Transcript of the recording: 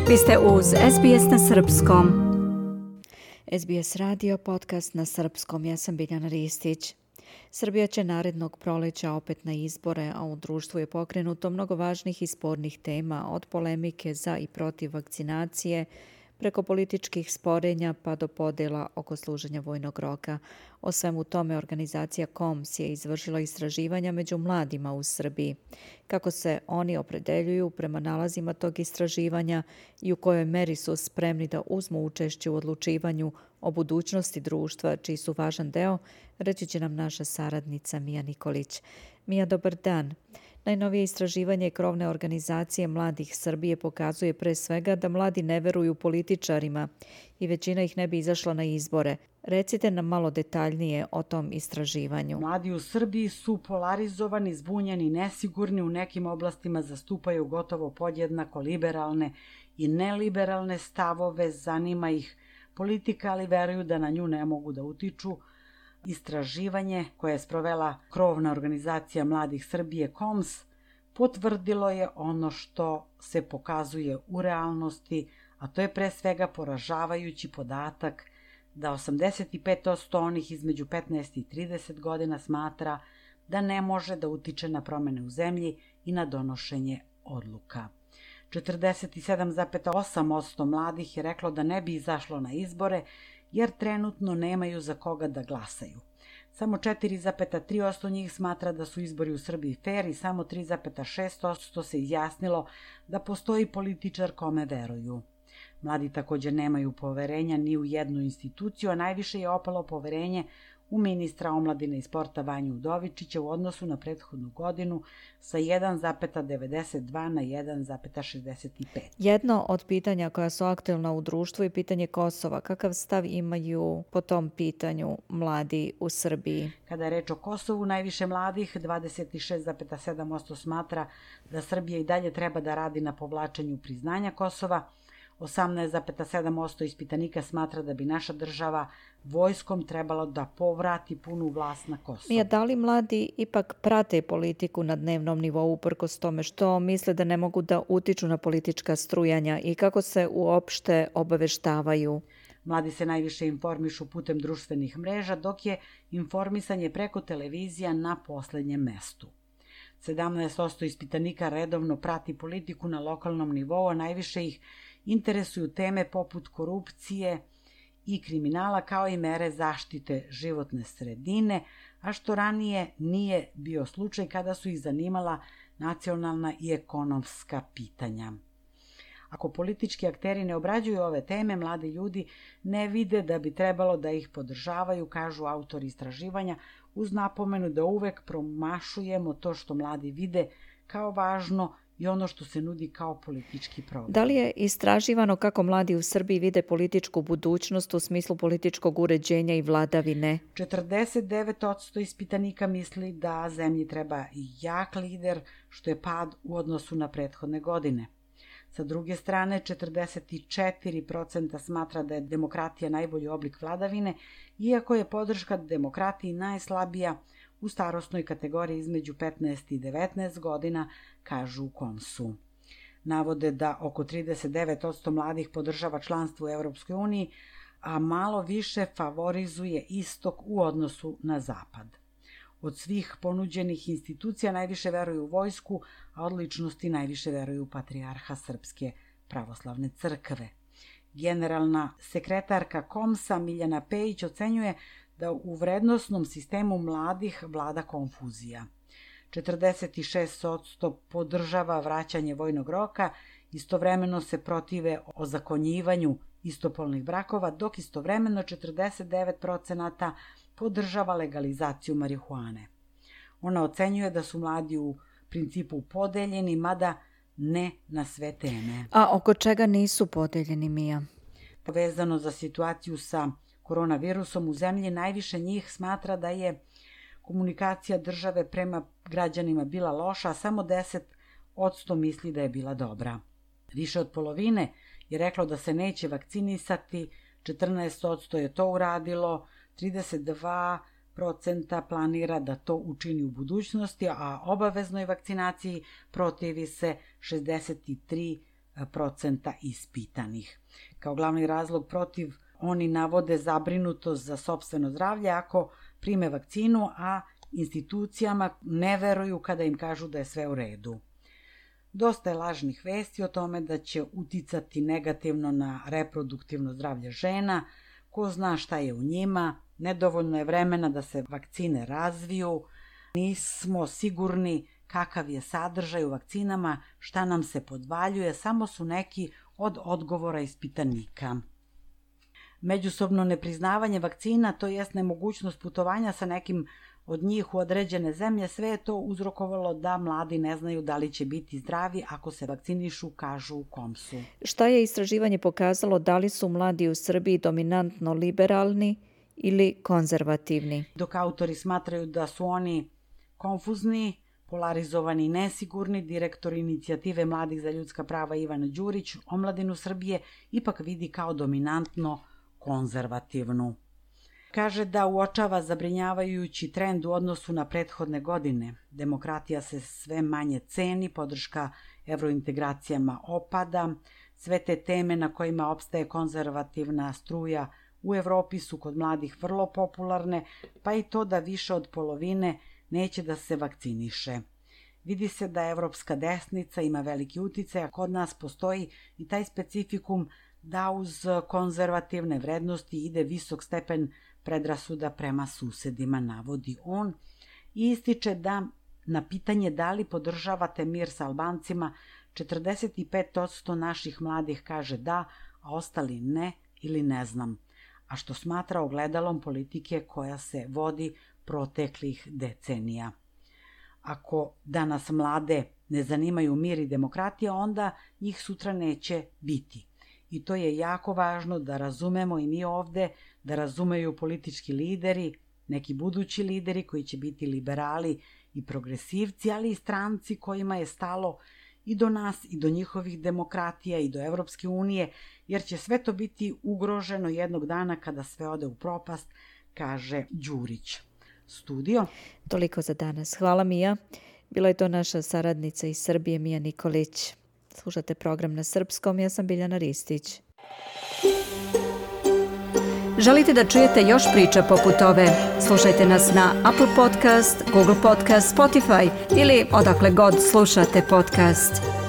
Vi ste uz SBS na srpskom. SBS radio podcast na srpskom. Ja sam Biljana Ristić. Srbija će narednog proleća opet na izbore, a u društvu je pokrenuto mnogo važnih i spornih tema, od polemike za i protiv vakcinacije, preko političkih sporenja pa do podela oko služenja vojnog roka. O svemu tome organizacija KOMS je izvršila istraživanja među mladima u Srbiji. Kako se oni opredeljuju prema nalazima tog istraživanja i u kojoj meri su spremni da uzmu učešće u odlučivanju o budućnosti društva, čiji su važan deo, reći će nam naša saradnica Mija Nikolić. Mija, dobar dan. Najnovije istraživanje krovne organizacije Mladih Srbije pokazuje pre svega da mladi ne veruju političarima i većina ih ne bi izašla na izbore. Recite nam malo detaljnije o tom istraživanju. Mladi u Srbiji su polarizovani, zbunjeni, nesigurni, u nekim oblastima zastupaju gotovo podjednako liberalne i neliberalne stavove, zanima ih politika, ali veruju da na nju ne mogu da utiču. Istraživanje koje je sprovela krovna organizacija Mladih Srbije KOMS potvrdilo je ono što se pokazuje u realnosti, a to je pre svega poražavajući podatak da 85% onih između 15 i 30 godina smatra da ne može da utiče na promene u zemlji i na donošenje odluka. 47,8% mladih je reklo da ne bi izašlo na izbore jer trenutno nemaju za koga da glasaju. Samo 4,3% njih smatra da su izbori u Srbiji fer i samo 3,6% se izjasnilo da postoji političar kome veruju. Mladi također nemaju poverenja ni u jednu instituciju, a najviše je opalo poverenje u ministra omladine i sporta Vanju Udovičića u odnosu na prethodnu godinu sa 1,92 na 1,65. Jedno od pitanja koja su aktuelna u društvu je pitanje Kosova. Kakav stav imaju po tom pitanju mladi u Srbiji? Kada je reč o Kosovu, najviše mladih, 26,7% smatra da Srbija i dalje treba da radi na povlačenju priznanja Kosova. 18,7% ispitanika smatra da bi naša država vojskom trebalo da povrati punu vlast na Kosovo. Mija, da li mladi ipak prate politiku na dnevnom nivou uprkos tome što misle da ne mogu da utiču na politička strujanja i kako se uopšte obaveštavaju? Mladi se najviše informišu putem društvenih mreža, dok je informisanje preko televizija na poslednjem mestu. 17% ispitanika redovno prati politiku na lokalnom nivou, a najviše ih interesuju teme poput korupcije i kriminala kao i mere zaštite životne sredine, a što ranije nije bio slučaj kada su ih zanimala nacionalna i ekonomska pitanja. Ako politički akteri ne obrađuju ove teme, mladi ljudi ne vide da bi trebalo da ih podržavaju, kažu autori istraživanja, uz napomenu da uvek promašujemo to što mladi vide kao važno i ono što se nudi kao politički program. Da li je istraživano kako mladi u Srbiji vide političku budućnost u smislu političkog uređenja i vladavine? 49% ispitanika misli da zemlji treba jak lider, što je pad u odnosu na prethodne godine. Sa druge strane, 44% smatra da je demokratija najbolji oblik vladavine, iako je podrška demokratiji najslabija u starosnoj kategoriji između 15 i 19 godina, kažu u KOMS-u. Navode da oko 39% mladih podržava članstvo u Evropskoj uniji, a malo više favorizuje istok u odnosu na zapad. Od svih ponuđenih institucija najviše veruju u vojsku, a od ličnosti najviše veruju u patrijarha Srpske pravoslavne crkve. Generalna sekretarka KOMS-a Miljana Pejić ocenjuje da u vrednosnom sistemu mladih vlada konfuzija. 46% podržava vraćanje vojnog roka, istovremeno se protive ozakonjivanju istopolnih brakova, dok istovremeno 49% podržava legalizaciju marihuane. Ona ocenjuje da su mladi u principu podeljeni, mada ne na sve teme. A oko čega nisu podeljeni, Mija? Povezano za situaciju sa koronavirusom u zemlji, najviše njih smatra da je komunikacija države prema građanima bila loša, a samo 10% misli da je bila dobra. Više od polovine je reklo da se neće vakcinisati, 14% je to uradilo, 32% planira da to učini u budućnosti, a obaveznoj vakcinaciji protivi se 63% 40% ispitanih. Kao glavni razlog protiv oni navode zabrinutost za sopstveno zdravlje ako prime vakcinu, a institucijama ne veruju kada im kažu da je sve u redu. Dosta je lažnih vesti o tome da će uticati negativno na reproduktivno zdravlje žena, ko zna šta je u njima, nedovoljno je vremena da se vakcine razviju, nismo sigurni kakav je sadržaj u vakcinama, šta nam se podvaljuje, samo su neki od odgovora ispitanika. Međusobno nepriznavanje vakcina, to jest nemogućnost putovanja sa nekim od njih u određene zemlje, sve je to uzrokovalo da mladi ne znaju da li će biti zdravi ako se vakcinišu, kažu u KOMS-u. Šta je istraživanje pokazalo, da li su mladi u Srbiji dominantno liberalni ili konzervativni? Dok autori smatraju da su oni konfuzni, polarizovani i nesigurni, direktor inicijative Mladih za ljudska prava Ivan Đurić omladinu Srbije ipak vidi kao dominantno konzervativnu. Kaže da uočava zabrinjavajući trend u odnosu na prethodne godine. Demokratija se sve manje ceni, podrška evrointegracijama opada, sve te teme na kojima opstaje konzervativna struja u Evropi su kod mladih vrlo popularne, pa i to da više od polovine neće da se vakciniše. Vidi se da evropska desnica ima veliki uticaj, a kod nas postoji i taj specifikum da uz konzervativne vrednosti ide visok stepen predrasuda prema susedima, navodi on, i ističe da na pitanje da li podržavate mir sa Albancima, 45% naših mladih kaže da, a ostali ne ili ne znam, a što smatra ogledalom politike koja se vodi proteklih decenija. Ako danas mlade ne zanimaju mir i demokratija, onda njih sutra neće biti. I to je jako važno da razumemo i mi ovde, da razumeju politički lideri, neki budući lideri koji će biti liberali i progresivci, ali i stranci kojima je stalo i do nas i do njihovih demokratija i do Evropske unije, jer će sve to biti ugroženo jednog dana kada sve ode u propast, kaže Đurić. Studio. Toliko za danas. Hvala Mija. Bila je to naša saradnica iz Srbije, Mija Nikolić. Slušate program na srpskom, ja sam Biljana Ristić. Želite da čujete još priča poput ove? Slušajte nas na Apple Podcast, Google Podcast, Spotify ili odakle god slušate podcast.